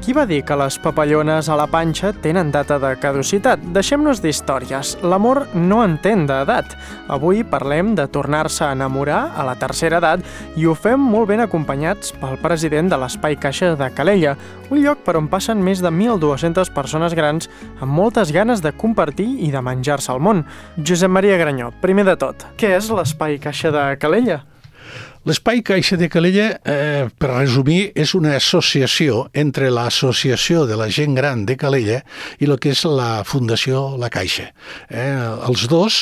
Qui va dir que les papallones a la panxa tenen data de caducitat? Deixem-nos d'històries. L'amor no entén d'edat. Avui parlem de tornar-se a enamorar a la tercera edat i ho fem molt ben acompanyats pel president de l'Espai Caixa de Calella, un lloc per on passen més de 1.200 persones grans amb moltes ganes de compartir i de menjar-se el món. Josep Maria Granyó, primer de tot, què és l'Espai Caixa de Calella? L'Espai Caixa de Calella, per resumir, és una associació entre l'Associació de la Gent Gran de Calella i el que és la Fundació La Caixa. Els dos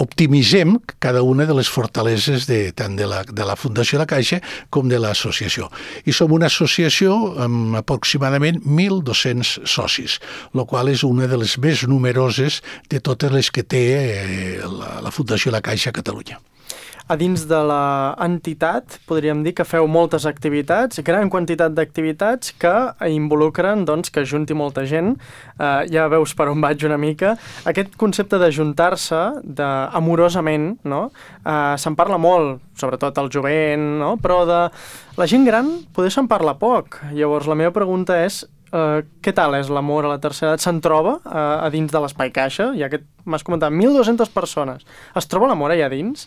optimitzem cada una de les fortaleses tant de la Fundació La Caixa com de l'associació. I som una associació amb aproximadament 1.200 socis, el qual és una de les més numeroses de totes les que té la Fundació La Caixa a Catalunya. A dins de l'entitat podríem dir que feu moltes activitats, gran quantitat d'activitats que involucren que junti molta gent. Ja veus per on vaig una mica. Aquest concepte d'ajuntar-se amorosament, no? Se'n parla molt, sobretot al jovent, no? Però de la gent gran poder se'n parla poc. Llavors la meva pregunta és què tal és l'amor a la tercera edat? Se'n troba a dins de l'Espai Caixa? Ja que m'has comentat, 1.200 persones. Es troba l'amor allà dins?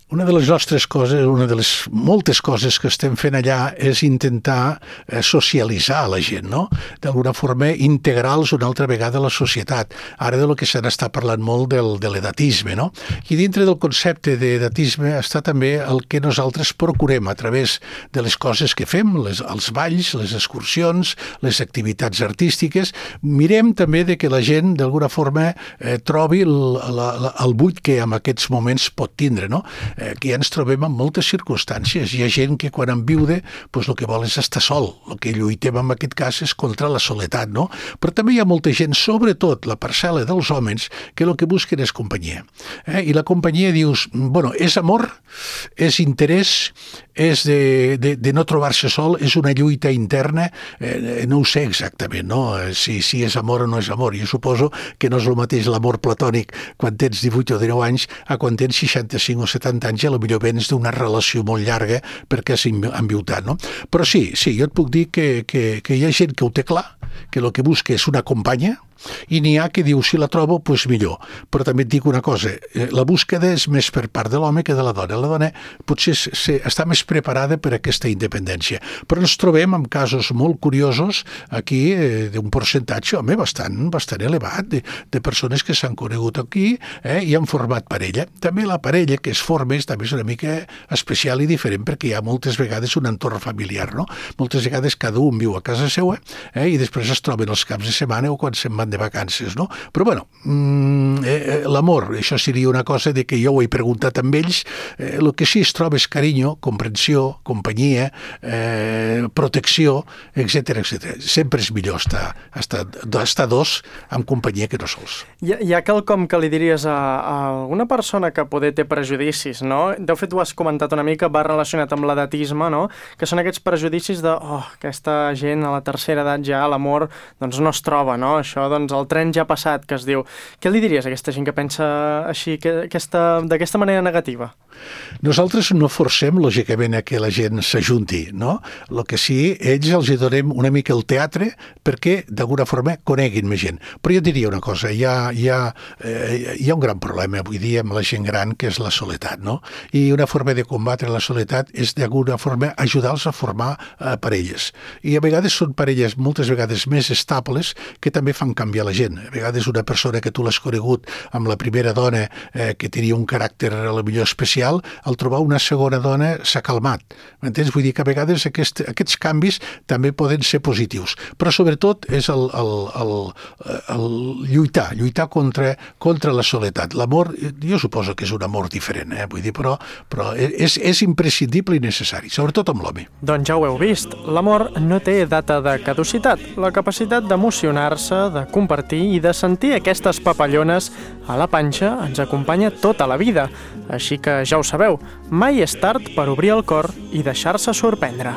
Una de les nostres coses, una de les moltes coses que estem fent allà és intentar socialitzar la gent, no? D'alguna forma integrar-los una altra vegada a la societat. Ara de lo que se n'està parlant molt de l'edatisme, no? I dintre del concepte d'edatisme està també el que nosaltres procurem a través de les coses que fem, els balls, les excursions, les activitats artístiques. Mirem també de que la gent d'alguna forma trobi el buit que en aquests moments pot tindre, no? Aquí ens trobem en moltes circumstàncies. Hi ha gent que quan enviuda el que vol és estar sol. El que lluitem en aquest cas és contra la soledat, no? Però també hi ha molta gent, sobretot la parcel·la dels homes, que el que busquen és companyia. I la companyia dius, és amor, és interès, és de no trobar-se sol, és una lluita interna, no ho sé exactament, no? Si és amor o no és amor. Jo suposo que no és el mateix l'amor platònic quan tens 18 o 19 anys a quan tens 65 o 70 anys, a lo millor vens d'una relació molt llarga perquè has enviutat, no? Però sí, jo et puc dir que hi ha gent que ho té clar, que el que busca és una companya, i n'hi ha que diu, si la trobo, doncs millor. Però també et dic una cosa, la búsqueda és més per part de l'home que de la dona. La dona potser està més preparada per a aquesta independència. Però ens trobem amb casos molt curiosos aquí d'un percentatge, bastant elevat, de persones que s'han conegut aquí i han format parella. També la parella que es forma també és una mica especial i diferent perquè hi ha moltes vegades un entorn familiar, no? Moltes vegades cada un viu a casa seva i després es troben els caps de setmana o quan se'n van de vacances, no? Però l'amor, això seria una cosa de que jo ho he preguntat amb ells, el que sí es troba és carinyo, comprensió, companyia, protecció, etc. Sempre és millor estar dos amb companyia que no sols. Hi ha quelcom que li diries a alguna persona que poder té prejudicis, no? De fet, ho has comentat una mica, va relacionat amb l'edatisme, no? Que són aquests prejudicis de, aquesta gent a la tercera edat ja, l'amor, no es troba, no? Això, el tren ja ha passat, que es diu. Què li diries a aquesta gent que pensa així, d'aquesta manera negativa? Nosaltres no forcem, lògicament, a que la gent s'ajunti, no? El que sí, ells els donem una mica el teatre perquè, d'alguna forma, coneguin més gent. Però jo diria una cosa, hi ha un gran problema avui dia amb la gent gran, que és la soledat, no? I una forma de combatre la soledat és, d'alguna forma, ajudar-los a formar parelles. I a vegades són parelles, moltes vegades més estables, que també fan canviar la gent. A vegades una persona que tu l'has conegut amb la primera dona que tenia un caràcter a la millor especial, al trobar una segona dona s'ha calmat. M'entens? Vull dir que a vegades aquests canvis també poden ser positius. Però sobretot és el lluitar contra la soledat. L'amor, jo suposo que és un amor diferent, vull dir, però és imprescindible i necessari, sobretot amb l'home. Doncs ja ho heu vist, l'amor no té data de caducitat. La capacitat d'emocionar-se, de compartir i de sentir aquestes papallones a la panxa ens acompanya tota la vida. Així que ja ho sabeu, mai és tard per obrir el cor i deixar-se sorprendre.